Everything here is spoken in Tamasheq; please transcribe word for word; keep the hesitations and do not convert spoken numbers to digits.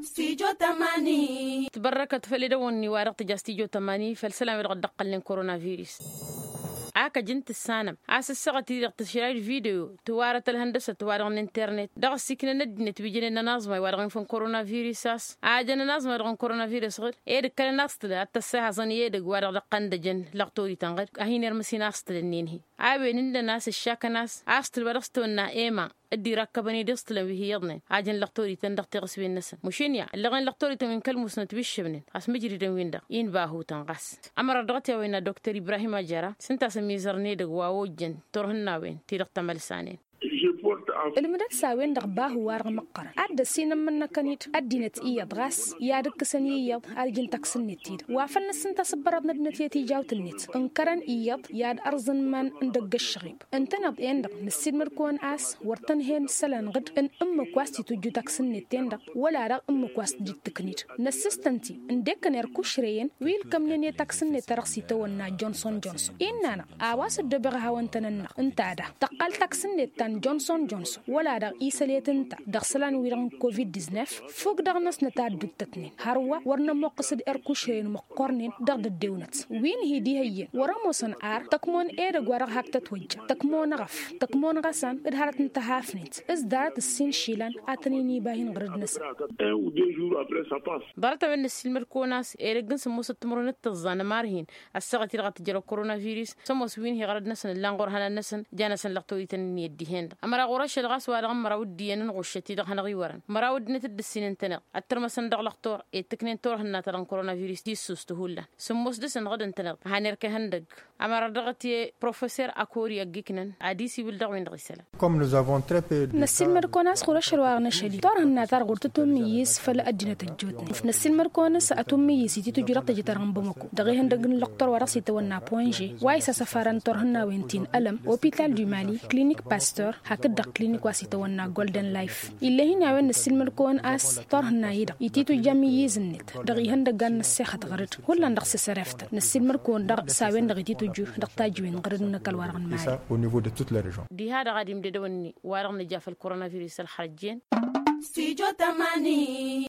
Stujo tămani. Tibărrăkăt făll-edăwănni wa dăɣ-tǝja stujo tămani făll-isălan wi dăɣ-dd-ăqqălnen koronavirus. Ak ăj n-tǝssanăm a-s ǝssaɣăt-i-dăɣ tǝšrayǝd video tiwarăt ălhăndăsăt wa dăɣ-n internet dăɣ-ăssiknăn ăddinăt wi jănen ănaẓmay wa dăɣ-infăn koronavirus a-s a jăn ănaẓmay wa dăɣ-n koronavirus ɣǝd. Ed ǝkkălăn a-s tǝla ad-tăssihăẓăn i-edăgg wa dăɣ-dăɣ-tăn-dăjăn lăɣtorităn ɣǝd a hin-irmǝs-in a-s tǝla ǝnnin-hi. A-wen ǝndăn a-s ǝššakăn a-s a-s tǝlwa dăɣ-s tawănna ema dd-irakkăbăn-dd iẓtǝlăn wi hi-iyyăḍnen a jăn lăɣtorităn dăɣ-tiɣǝswen-năsăn mušǝnniya ǝllăɣen lăɣtorităn wi n-kăl-musnăt wi ǝššǝbnen a-s mǝjridăn-win-dăɣ. Inba hutăn ɣas ămărat dăɣ-t i-a-wen a doktor ibrahim ajara s-ǝnta a-s ămizărăn edăgg wa ojjăn turhǝnnawen-ti-dăɣ tămălsanen. Ǝlmǝdăt s-a-wen-dăɣ bahu-wa-dăɣ măqqărăn ad-dd-ăssinămmănnăkăn-dd ăddinăt iyyăḍ ɣas i-ad-ǝkkǝsăn i-iyyăḍ ad-ǝjǝn taksǝnnet-ti-dăɣ wa făl nǝssǝnta s-ǝbbărăḍ n-ăddinăt i-tijawt-net ǝnkărăn iyyăḍ i-ad-ărẓǝn iman n-dăgg-ăššăɣib. Ǝntăneḍ-en-dăɣ nǝssilmăd-kăwăn a-s wăr tăn-hen isălan ɣǝd n-ǝmmǝk wa s-titujju taksǝnnet-ten-dăɣ wăla-dăɣ ǝmmǝk wa s-tǝjǝttǝkned năssǝstăn-t-i ǝndek n-erk ušrăyăn wi ǝlkămnen i-taksǝnnet ta dăɣ-s itawănna jonson jonson. Innă-năɣ a-wa s-ăddobeɣ ăhawăn-tăn-ănn-năɣ ǝnta da tăqqal taksǝnnet ta n-jonson jonson wăla-dăɣ isălet ǝnta dăɣ-isălan-wi-dăɣ n-covid-diznef. Fuk dăɣ-năsnăt a ădduttătnen hărwa wăr nămoqqǝs d-erk ušrăyăn măqqornen dăɣ-dăddewnăt wi n-hi-dd-ihăyyăn wăr-ămoosăn ar tăkmon edăgg wa dăɣ-hak tătwăjja tăkmon aɣăf tăkmon ɣăsan d-hărăt n-tăhafnet s-ḍarăt ǝssin išilan a tăn-in-iba hin-ɣărăd-năsăn. Ḍarăt-a-wen năssiilmăd-kăwăn a-s edăgg n-sǝmmosăt timǝrwen d-tǝẓẓa n-ămarhin ăssaɣăt-i-dăɣ ad-tǝjrăw koronavirus s-ămoos wi n-hi-iɣărăd-năsăn ǝllan ɣur-ihănan-năsăn. Jan-asăn lăɣtorităn ǝnniyăt dihen-dăɣ ămăra ɣur-ašăl ɣas wa dăɣ-n măraw d-iyyăn n-ɣuššăt-i-dăɣ hanăɣ-iwărăn măraw ăddinăt dd-ǝssin ǝntăneḍ ăttărmăsăn dăɣ-lăxtur i-ǝttǝknen turhǝnna ta dăɣ-n koronavirus tissust hullan. Sǝmmos dăɣ-săn ɣǝd-ǝntăneḍ a han-erk ihăndăgg ămăra dăɣ-t i-professor akori ăgg-iknăn ad-isiwǝl dăɣ-wen-dăɣ isălan. Năssiilmăd-kăwăn a-s ɣur-ašăl wa dăɣ-năšăl-i turhǝnna-ta-dăɣ wăr tǝtummǝyyǝs făll-ăddinăt ăjjootnen. Năssiilmăd-kăwăn a-s ătummǝyyǝs i-titǝjju dăɣ-tejăt-ta-dăɣ n-bamăko dăɣ-ihăndăgg n-lăqtor wa dăɣ-s itawănna ponže wa isasăfarăn turhǝnnawen ti n-ălăm opital du mali klinik pastor hakd-dăɣ klinik wa s-itawănna golden life. Ill'-e-hin a-wen năssiilmăd-kăwăn a-s turhǝnna-i-dăɣ ititǝjja amǝyyǝz-net dăɣ-ihăndăggan n-ăssexăt ɣăr-dd hullan dăɣ-s isăreftan năssiilmăd-kăwăn daɣ s-a-wen-dăɣ ititǝjju dăɣ-tajǝwen ɣăr-dd n-ăkall wa dăɣ-nǝmali. Diha-dăɣ ad-imdădăwănni wa-dăɣ nǝja făll-koronavirus ălxărăjjen. Stujo tămani.